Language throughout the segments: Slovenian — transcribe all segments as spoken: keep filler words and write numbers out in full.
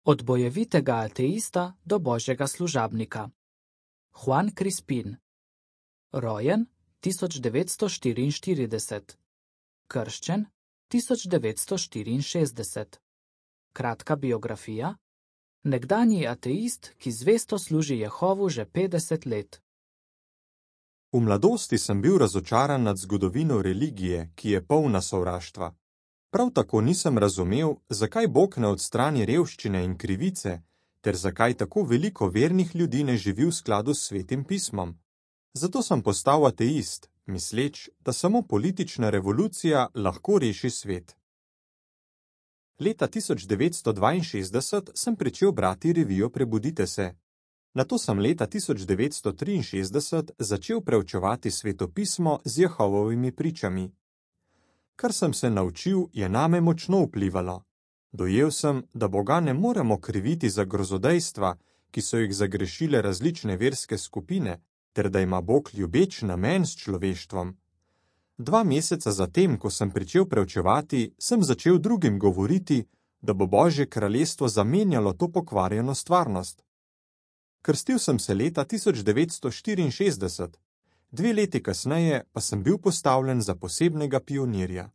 Od bojevitega ateista do božjega služabnika. Juan Crispin. Rojen tisoč devetsto štiriinštirideset. Krščen tisoč devetsto štiriinšestdeset. Kratka biografija. Nekdanji ateist, ki zvesto služi Jehovu že petdeset let. V mladosti sem bil razočaran nad zgodovino religije, ki je polna sovraštva. Prav tako nisem razumel, zakaj Bog ne odstrani revščine in krivice, ter zakaj tako veliko vernih ljudi ne živi v skladu s Svetim pismom. Zato sem postal ateist, misleč, da samo politična revolucija lahko reši svet. Leta tisoč devetsto dvainšestdeset sem pričel brati revijo Prebudite se. Nato sem leta tisoč devetsto triinšestdeset začel preučevati svetopismo z Jehovovimi pričami. Kar sem se naučil, je name močno vplivalo. Dojel sem, da Boga ne moremo kriviti za grozodejstva, ki so jih zagrešile različne verske skupine, ter da ima Bog ljubeč namen s človeštvom. Dva meseca zatem, ko sem pričel preučevati, sem začel drugim govoriti, da bo Božje kraljestvo zamenjalo to pokvarjeno stvarnost. Krstil sem se leta tisoč devetsto štiriinšestdeset, dve leti kasneje pa sem bil postavljen za posebnega pionirja.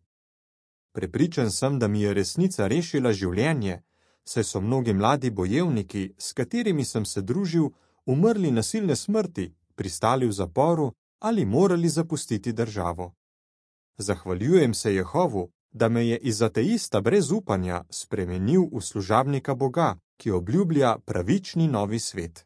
Prepričan sem, da mi je resnica rešila življenje, saj so mnogi mladi bojevniki, s katerimi sem se družil, umrli nasilne smrti, pristali v zaporu ali morali zapustiti državo. Zahvaljujem se Jehovu, da me je iz ateista brez upanja spremenil v služabnika Boga, ki obljublja pravični novi svet.